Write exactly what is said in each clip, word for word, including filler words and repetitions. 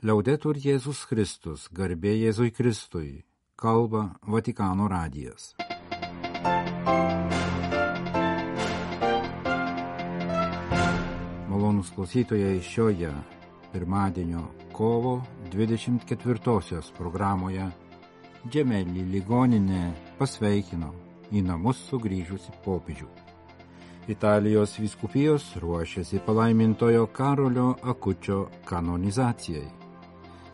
Liaudetur Jėzus Kristus, garbė Jėzui Kristui, kalba Vatikano radijas. Malonūs klausytojai, šioje pirmadienio kovo dvidešimt ketvirtosios programoje Džemelį ligoninė pasveikino į namus sugrįžusi popiežių. Italijos vyskupijos ruošiasi palaimintojo Karolio Akučio kanonizacijai.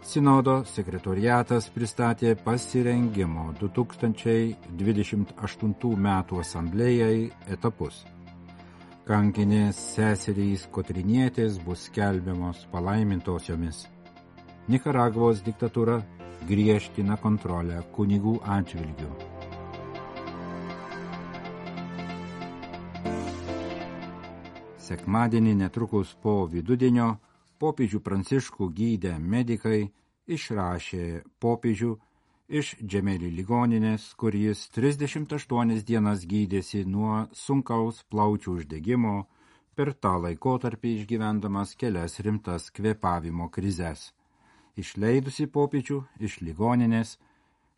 Sinodo sekretoriatas pristatė pasirengimo du tūkstančiai dvidešimt aštuntų metų asamblėjai etapus. Kankinės seserys Kotrinietės bus skelbiamos palaimintosiomis. Nikaragvos diktatūra griežtina kontrolę kunigų atžvilgių. Sekmadienį netrukus po vidudienio popiežių Pranciškų gydę medikai išrašė popiežių iš Džemelį ligoninės, kur jis trisdešimt aštuonias dienas gydėsi nuo sunkaus plaučių uždegimo, per tą laikotarpį išgyvendamas kelias rimtas kvėpavimo krizes. Išleidusi popiežių iš ligoninės,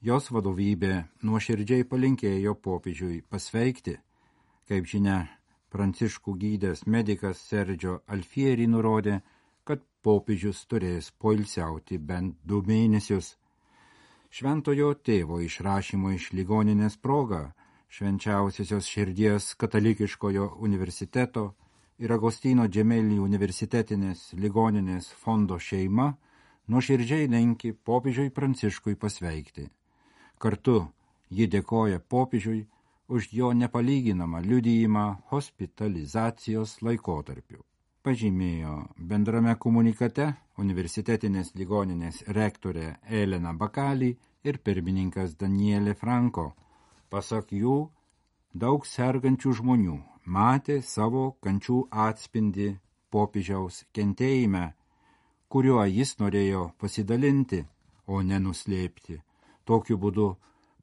jos vadovybė nuoširdžiai palinkėjo popiežiui pasveikti. Kaip žinia, Pranciškų gydęs medikas Sergio Alfieri nurodė, kad popiežius turės poilsiauti bent du mėnesius. Šventojo tėvo išrašymo iš ligoninės proga Švenčiausiosios širdies katalikiškojo universiteto ir Agostino Džemelį universitetinės ligoninės fondo šeima nuoširdžiai linki popiežiui Pranciškui pasveikti. Kartu ji dėkoja popiežiui už jo nepalyginamą liudijimą hospitalizacijos laikotarpiu. Pažymėjo bendrame komunikate universitetinės ligoninės rektorė Elena Bakali ir pirmininkas Daniele Franco. Pasak jų, daug sergančių žmonių matė savo kančių atspindį popiežiaus kentėjime, kuriuo jis norėjo pasidalinti, o nenuslėpti. Tokiu būdu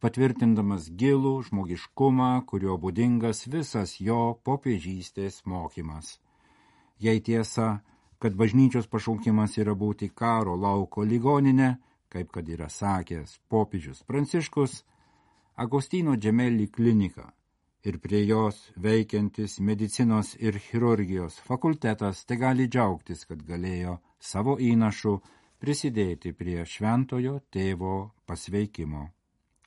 patvirtindamas gilų žmogiškumą, kurio būdingas visas jo popiežystės mokymas. Jei tiesa, kad bažnyčios pašaukimas yra būti karo lauko ligoninė, kaip kad yra sakęs popiežius Pranciškus, Agostino Džemelį klinika ir prie jos veikiantis medicinos ir chirurgijos fakultetas te gali džiaugtis, kad galėjo savo įnašu prisidėti prie šventojo tėvo pasveikimo.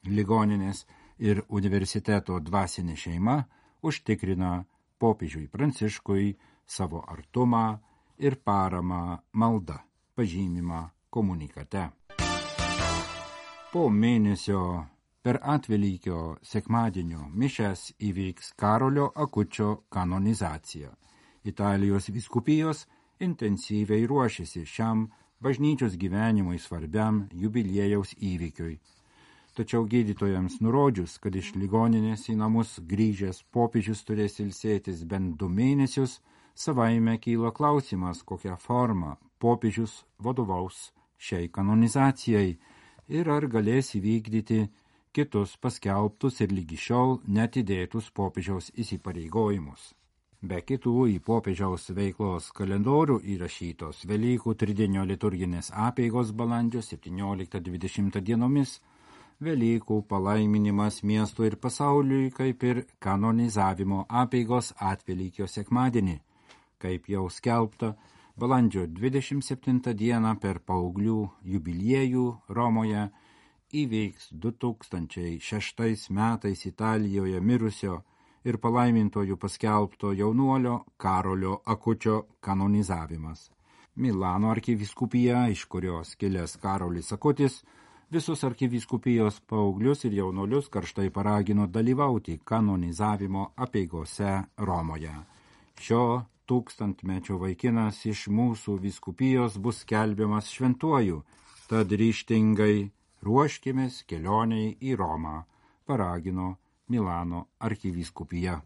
Ligoninės ir universiteto dvasinė šeima užtikrina popiežiui Pranciškui savo artumą ir paramą malda, pažymima komunikate. Po mėnesio per Atvelykio sekmadienio mišias įvyks Karolio Akučio kanonizacija. Italijos vyskupijos intensyviai ruošiasi šiam bažnyčios gyvenimui svarbiam jubiliejaus įvykiui. Tačiau gydytojams nurodžius, kad iš ligoninės į namus grįžęs popiežius turės ilsėtis bent du mėnesius, savaime kyla klausimas, kokią formą popiežius vadovaus šiai kanonizacijai ir ar galės įvykdyti kitus paskelbtus ir lygi šiol netidėtus popiežiaus įsipareigojimus. Be kitų į popiežiaus veiklos kalendorių įrašytos Velykų tridienio liturginės apeigos balandžio septynioliktą dvidešimtą dienomis, Velykų palaiminimas miestui ir pasauliui, kaip ir kanonizavimo apeigos Atvelykio sekmadienį. Kaip jau skelbta, balandžio dvidešimt septintą dieną per paauglių jubiliejų Romoje įvyks du tūkstančiai šeštais metais Italijoje mirusio ir palaimintojų paskelbto jaunuolio Karolio Akučio kanonizavimas. Milano arkivyskupija, iš kurios kilęs Karolis Akutis, visus arkivyskupijos paauglius ir jaunuolius karštai paragino dalyvauti kanonizavimo apeigose Romoje. Šio tūkstantmečio vaikinas iš mūsų vyskupijos bus skelbiamas šventuoju, tad ryžtingai ruoškimės kelioniai į Romą, paragino Milano arkivyskupija.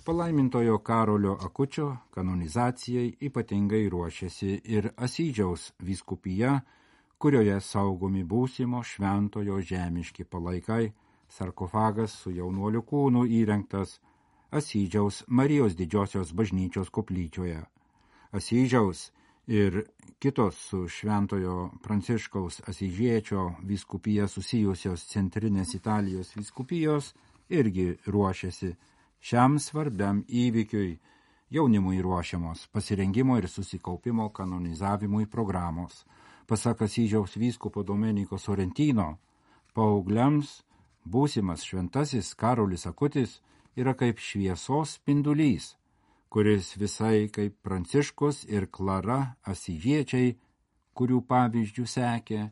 Palaimintojo Karolio Akučio kanonizacijai ypatingai ruošiasi ir Asyžiaus vyskupija, kurioje saugomi būsimo šventojo žemiški palaikai, sarkofagas su jaunuoliu kūnu įrengtas Asyžiaus Marijos didžiosios bažnyčios koplyčioje. Asyžiaus ir kitos su Šventojo Pranciškaus Asyžiečio vyskupija susijusios centrinės Italijos vyskupijos irgi ruošiasi šiam svarbiam įvykiui. Jaunimui ruošiamos pasirengimo ir susikaupimo kanonizavimui programos. Pasak Asyžiaus vyskupo Domeniko Sorrentino, paaugliams būsimas šventasis Karolis Akutis yra kaip šviesos spindulys, kuris visai kaip Pranciškus ir Klara Asyžiečiai, kurių pavyzdžių sekė,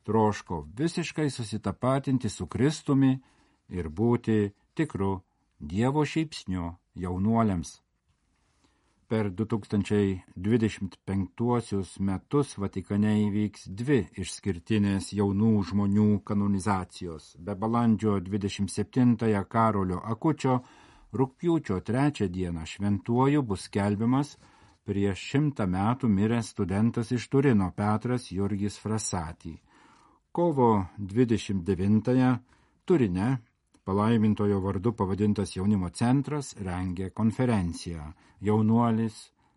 troško visiškai susitapatinti su Kristumi ir būti tikru Dievo šypsniu jaunuoliams. Per du tūkstančiai dvidešimt penktuosius metus Vatikane įvyks dvi išskirtinės jaunų žmonių kanonizacijos. Be balandžio dvidešimt septintąją Karolio Akučio, rugpjūčio trečią dieną šventuoju bus skelbiamas prieš šimtą metų miręs studentas iš Turino Petras Jurgis Frassati. Kovo dvidešimt devintąją Turine palaimintojo vardu pavadintas jaunimo centras rengė konferenciją Jaunuolis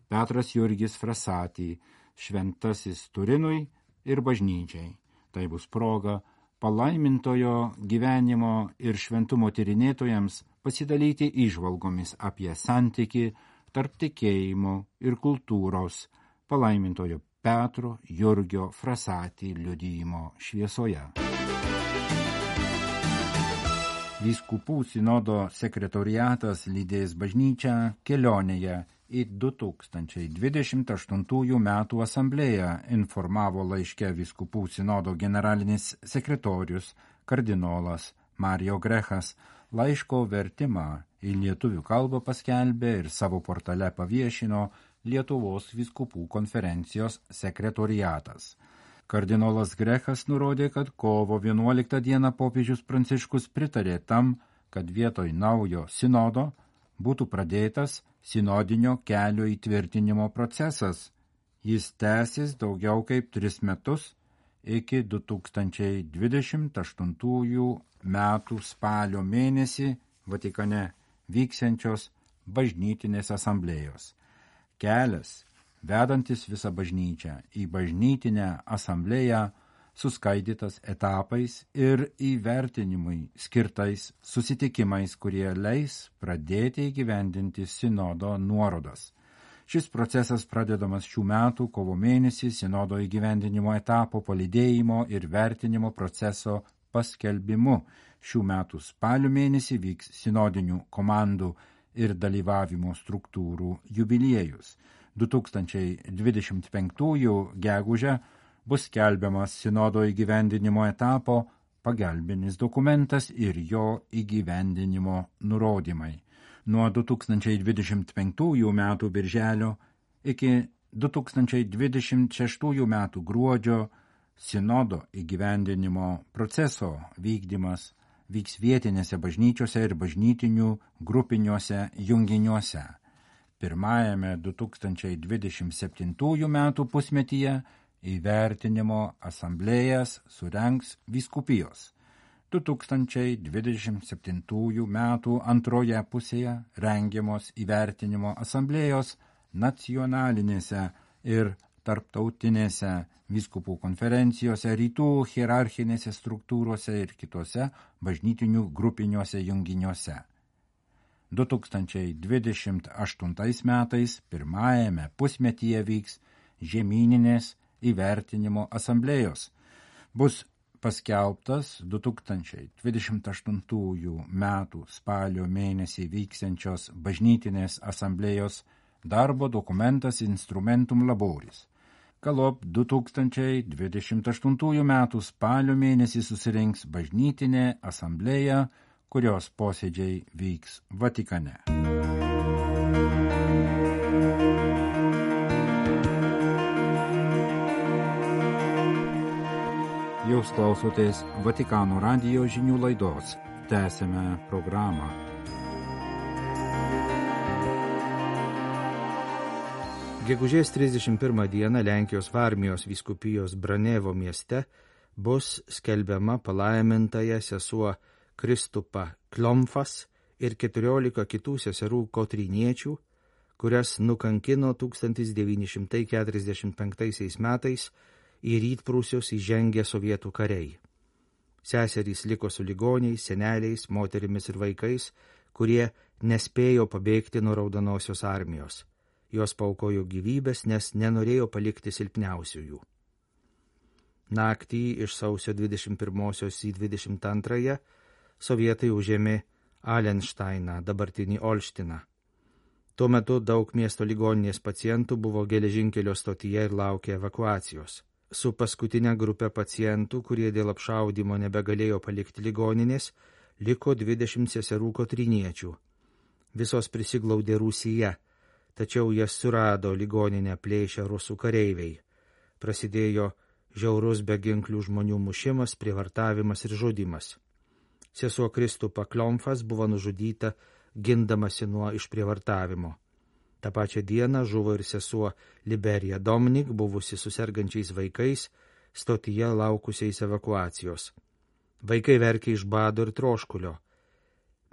Petras Jurgis Frassati, šventasis Turinui ir bažnyčiai. Tai bus proga palaimintojo gyvenimo ir šventumo tyrinėtojams pasidalyti įžvalgomis apie santykį tarp tikėjimo ir kultūros palaimintojo Petro Jurgio Frassati liudijimo šviesoje. Vyskupų sinodo sekretoriatas lydės bažnyčią kelionėje į du tūkstančiai dvidešimt aštuntųjų metų asamblėją, informavo laiške vyskupų sinodo generalinis sekretorius kardinolas Mario Grechas. Laiško vertimą į lietuvių kalbą paskelbė ir savo portale paviešino Lietuvos vyskupų konferencijos sekretoriatas. Kardinolas Grechas nurodė, kad kovo vienuoliktą dieną popiežius Pranciškus pritarė tam, kad vietoj naujo sinodo būtų pradėtas sinodinio kelio įtvirtinimo procesas. Jis tęsis daugiau kaip tris metus iki du tūkstančiai dvidešimt aštuntųjų metų spalio mėnesį Vatikane vyksiančios bažnytinės asamblėjos. Kelias vedantis visą bažnyčią į bažnytinę asamblėją, suskaidytas etapais ir įvertinimui skirtais susitikimais, kurie leis pradėti įgyvendinti sinodo nuorodas. Šis procesas pradedamas šių metų kovo mėnesį sinodo įgyvendinimo etapo palydėjimo ir vertinimo proceso paskelbimu. Šių metų spalio mėnesį vyks sinodinių komandų ir dalyvavimo struktūrų jubiliejus. du tūkstančiai dvidešimt penktųjų gegužę bus skelbiamas sinodo įgyvendinimo etapo pagalbinis dokumentas ir jo įgyvendinimo nurodymai. Nuo du tūkstančiai dvidešimt penktųjų metų birželio iki du tūkstančiai dvidešimt šeštųjų metų gruodžio sinodo įgyvendinimo proceso vykdymas vyks vietinėse bažnyčiose ir bažnytinių grupiniuose junginiuose. Pirmajame du tūkstančiai dvidešimt septintųjų metų pusmetyje įvertinimo asamblėjas surengs vyskupijos. du tūkstančiai dvidešimt septintųjų metų antroje pusėje rengiamos įvertinimo asamblėjos nacionalinėse ir tarptautinėse vyskupų konferencijose, rytų hierarchinėse struktūrose ir kitose bažnytinių grupiniuose junginiuose. du tūkstančiai dvidešimt aštuntais metais pirmajame pusmetyje vyks žemyninės įvertinimo asamblėjos. Bus paskelbtas du tūkstančiai dvidešimt aštuntųjų metų spalio mėnesį vyksiančios bažnytinės asamblėjos darbo dokumentas Instrumentum Laboris. Galop du tūkstančiai dvidešimt aštuntųjų metų spalio mėnesį susirinks bažnytinė asamblėja, kurios posėdžiai vyks Vatikane. Jūs klausotės Vatikano radijo žinių laidos. Tęsime programą. Gegužės trisdešimt pirmą dieną Lenkijos Varmijos vyskupijos Branevo mieste bus skelbiama palaimintaja sesuo Kristupa Klomfas ir keturiolika kitų seserų kotryniečių, kurias nukankino tūkstantis devyni šimtai keturiasdešimt penktaisiais metais į Rytprūsius įžengę sovietų kariai. Seserys liko su ligoniais, seneliais, moterimis ir vaikais, kurie nespėjo pabėgti nuo Raudonosios armijos. Jos paaukojo gyvybės, nes nenorėjo palikti silpniausiųjų. Naktį iš sausio dvidešimt pirmosios į dvidešimt antrąją sovietai užėmė Alenšteiną, dabartinį Olštiną. Tuo metu daug miesto ligoninės pacientų buvo geležinkelio stotyje ir laukė evakuacijos. Su paskutinė grupė pacientų, kurie dėl apšaudymo nebegalėjo palikti ligoninės, liko dvidešimt seserų kotryniečių. Visos prisiglaudė Rūsyje, tačiau jas surado ligoninę plėšę rusų kareiviai. Prasidėjo žiaurus beginklių žmonių mušimas, prievartavimas ir žudymas. Sesuo Kristupa Kliomfas buvo nužudyta gindamasi nuo išprievartavimo. Ta pačia diena žuvo ir sesuo Liberija Domnik, buvusi su sergančiais vaikais, stotyje laukusiais evakuacijos. Vaikai verkė iš bado ir troškulio.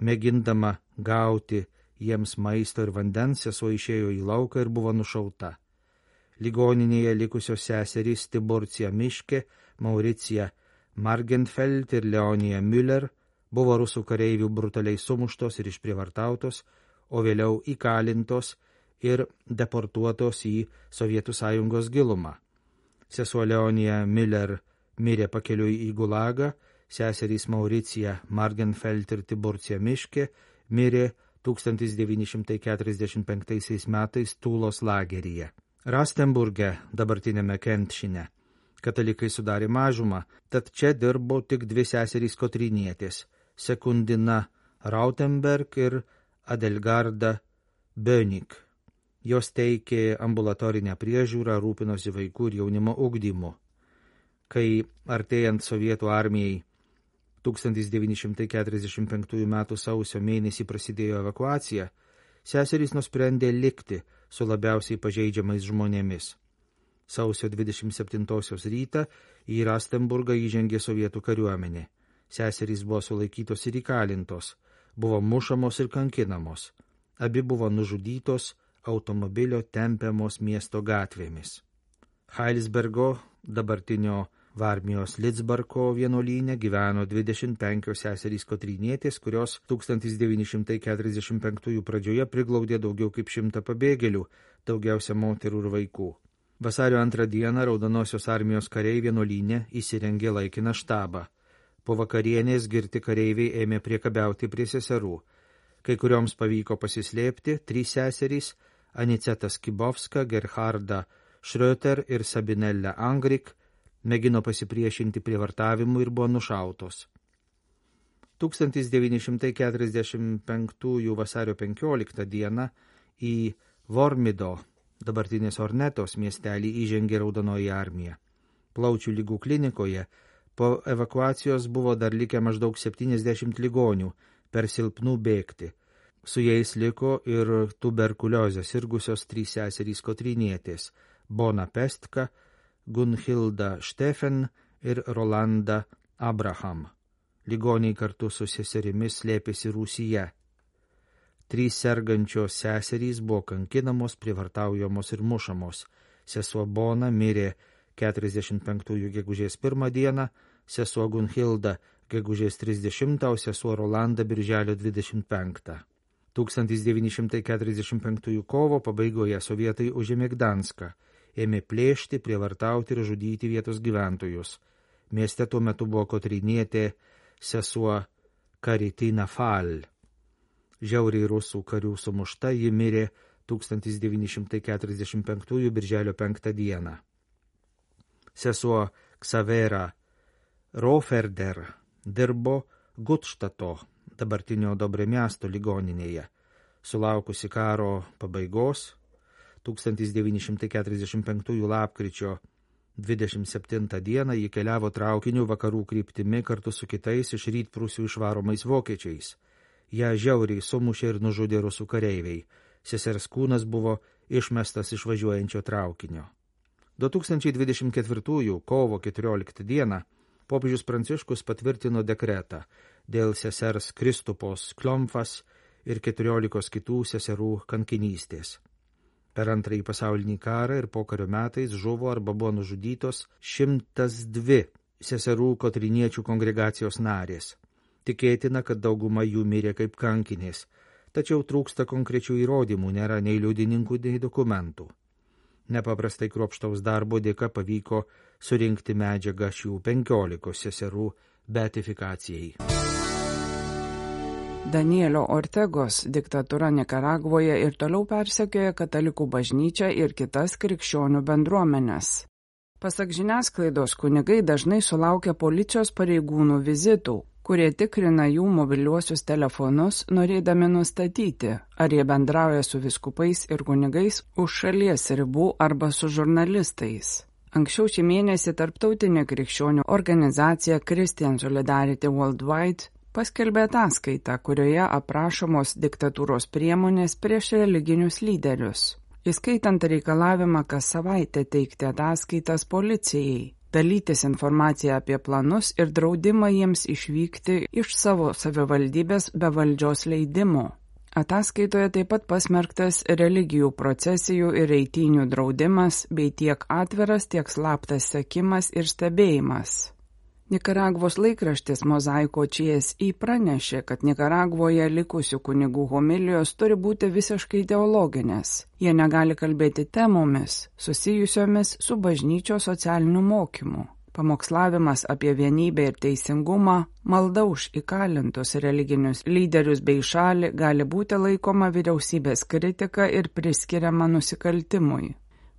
Mėgindama gauti jiems maisto ir vandens, sesuo išėjo į lauką ir buvo nušauta. Ligoninėje likusios seserys Tiburcija Miške, Mauricija Margenfeld ir Leonija Müller buvo rusų kareivių brutaliai sumuštos ir išprievartautos, o vėliau įkalintos ir deportuotos į Sovietų Sąjungos gilumą. Sesuo Leonija Müller mirė pakeliui į Gulagą, seserys Mauricija Margenfeld ir Tiburcija Miške mirė tūkstantis devyni šimtai keturiasdešimt penktaisiais metais Tūlos lageryje. Rastenburge, dabartinėme Kentšine, katalikai sudarė mažumą, tad čia dirbo tik dvi seserys kotrynietės – Sekundina Rautenberg ir Adelgarda Bönig. Jos teikė ambulatorinę priežiūrą, rūpinosi vaikų ir jaunimo ugdymu. Kai artėjant sovietų armijai tūkstantis devyni šimtai keturiasdešimt penktųjų metų sausio mėnesį prasidėjo evakuacija, seserys nusprendė likti su labiausiai pažeidžiamais žmonėmis. Sausio dvidešimt septintosios rytą į Rastenburgą įžengė sovietų kariuomenė. Seserys buvo sulaikytos ir įkalintos, buvo mušamos ir kankinamos. Abi buvo nužudytos automobilio tempiamos miesto gatvėmis. Heilsbergo, dabartinio Varmijos Lidzbarko vienuolyne, gyveno dvidešimt penkios seserys kotrynietės, kurios tūkstantis devyni šimtai keturiasdešimt penktųjų pradžioje priglaudė daugiau kaip šimtą pabėgėlių, daugiausia moterų ir vaikų. Vasario antrą dieną Raudonosios armijos kariai vienuolyne įsirengė laikiną štabą. Po vakarienės girti kareiviai ėmė priekabiauti prie seserų. Kai kurioms pavyko pasislėpti, trys seserys – Aniceta Skibovska, Gerharda Schröter ir Sabinella Angrik – mėgino pasipriešinti prievartavimui ir buvo nušautos. tūkstantis devyni šimtai keturiasdešimt penktųjų vasario penkioliktą dieną į Vormido, dabartinės Ornetos miestelį, įžengė Raudonoji armija. Plaučių ligų klinikoje po evakuacijos buvo dar likę maždaug septyniasdešimt ligonių, per silpnų bėgti. Su jais liko ir tuberkuliozę sirgusios trys seserys kotrynietės – Bona Pestka, Gunhilda Steffen ir Rolanda Abraham. Ligoniai kartu su seserimis slėpėsi Rūsyje. Trys sergančios seserys buvo kankinamos, prievartaujamos ir mušamos. Sesuo Bona mirė keturiasdešimt penktųjų gegužės pirmą dieną, sesuo Gunhilda gegužės trisdešimtą, o sesuo Rolanda birželio dvidešimt penktą. tūkstantis devyni šimtai keturiasdešimt penktųjų kovo pabaigoje sovietai užėmė Gdanską, ėmė plėšti, prievartauti ir žudyti vietos gyventojus. Mieste tuo metu buvo kotrynietė sesuo Karitina Fal. Žiauriai rusų karių sumušta, ji mirė tūkstantis devyni šimtai keturiasdešimt penktųjų birželio penktą dieną. Sesuo Ksavera Roferder dirbo Gutštato, dabartinio Dobremiasto ligoninėje. Sulaukusi karo pabaigos, tūkstantis devyni šimtai keturiasdešimt penktųjų lapkričio dvidešimt septintą dieną ji keliavo traukiniu vakarų kryptimi kartu su kitais iš Rytprūsių išvaromais vokiečiais. Ją žiauriai sumušė ir nužudė rusų kareiviai. Sesers kūnas buvo išmestas iš važiuojančio traukinio. du tūkstančiai dvidešimt ketvirtųjų kovo keturioliktą dieną popiežius Pranciškus patvirtino dekretą dėl sesers Kristupos Kliomfas ir keturiolikos kitų seserų kankinystės. Per antrąjį pasaulinį karą ir pokario metais žuvo arba buvo nužudytos šimtas dvi seserų kotriniečių kongregacijos narės. Tikėtina, kad dauguma jų mirė kaip kankinės, tačiau trūksta konkrečių įrodymų, nėra nei liudininkų, nei dokumentų. Nepaprastai kruopštaus darbo dėka pavyko surinkti medžiagą šių penkiolikos seserų beatifikacijai. Danielio Ortegos diktatūra Nikaragvoje ir toliau persekioja katalikų bažnyčią ir kitas krikščionių bendruomenes. Pasak žiniasklaidos, kunigai dažnai sulaukia policijos pareigūnų vizitų, kurie tikrina jų mobiliuosius telefonus, norėdami nustatyti, ar jie bendrauja su vyskupais ir kunigais už šalies ribų arba su žurnalistais. Anksčiau šį mėnesį tarptautinė krikščionių organizacija Christian Solidarity Worldwide paskelbė ataskaitą, kurioje aprašomos diktatūros priemonės prieš religinius lyderius, įskaitant reikalavimą kas savaitę teikti ataskaitas policijai, dalytis informaciją apie planus ir draudimą jiems išvykti iš savo savivaldybės be valdžios leidimo. Ataskaitoje taip pat pasmerktas religijų procesijų ir eitynių draudimas bei tiek atviras, tiek slaptas sekimas ir stebėjimas. Nikaragvos laikraštis Mozaiko C S I pranešė, kad Nikaragvoje likusių kunigų homilijos turi būti visiškai teologinės. Jie negali kalbėti temomis, susijusiomis su bažnyčios socialiniu mokymu. Pamokslavimas apie vienybę ir teisingumą, malda už įkalintus religinius lyderius bei šalį gali būti laikoma vyriausybės kritika ir priskiriama nusikaltimui.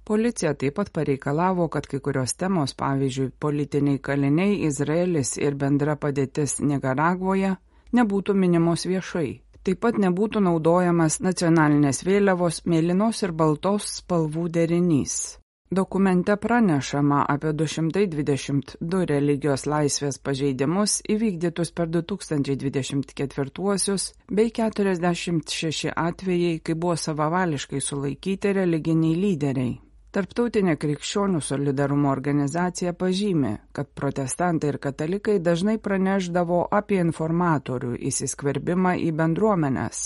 Policija taip pat pareikalavo, kad kai kurios temos, pavyzdžiui, politiniai kaliniai, Izraelis ir bendra padėtis Nikaragvoje, nebūtų minimos viešai. Taip pat nebūtų naudojamas nacionalinės vėliavos mėlynos ir baltos spalvų derinys. Dokumente pranešama apie du šimtai dvidešimt du religijos laisvės pažeidimus įvykdytus per du tūkstančiai dvidešimt ketvirtuosius bei keturiasdešimt šeši atvejai, kai buvo savavališkai sulaikyti religiniai lyderiai. Tarptautinė krikščionių solidarumo organizacija pažymi, kad protestantai ir katalikai dažnai pranešdavo apie informatorių įsiskverbimą į bendruomenes,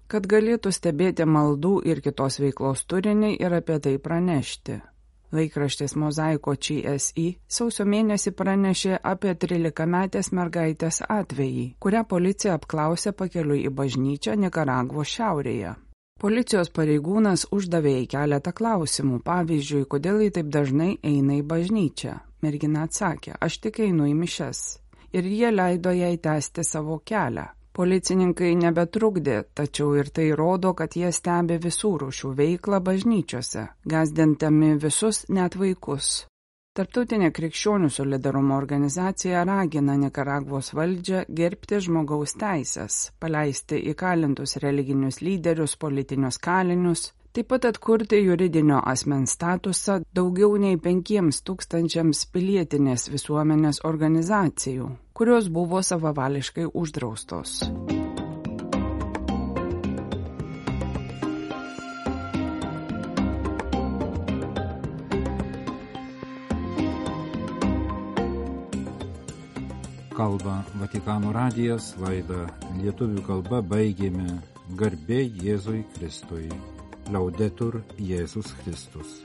kad galėtų stebėti maldų ir kitos veiklos turinį ir apie tai pranešti. Laikraštis Mozaiko C S I sausio mėnesį pranešė apie trylikametės mergaitės atvejį, kurią policija apklausė pakeliui į bažnyčią Nikaragvos šiaurėje. Policijos pareigūnas uždavė į keletą klausimų, pavyzdžiui, kodėl jį taip dažnai eina į bažnyčią. Mergina atsakė, aš tik einu į mišias. Ir jie leido jai tęsti savo kelią. Policininkai nebetrukdė, tačiau ir tai rodo, kad jie stebi visų rūšių veiklą bažnyčiose, gąsdindami visus, net vaikus. Tarptautinė krikščionių solidarumo organizacija ragina Nikaragvos valdžią gerbti žmogaus teisės, paleisti įkalintus religinius lyderius, politinius kalinius, taip pat atkurti juridinio asmens statusą daugiau nei penkiems tūkstančiams pilietinės visuomenės organizacijų, kurios buvo savavališkai uždraustos. Kalba Vatikano radijas, laidą lietuvių kalba baigėme. Garbė Jėzui Kristui. Laudetur Jėzus Kristus.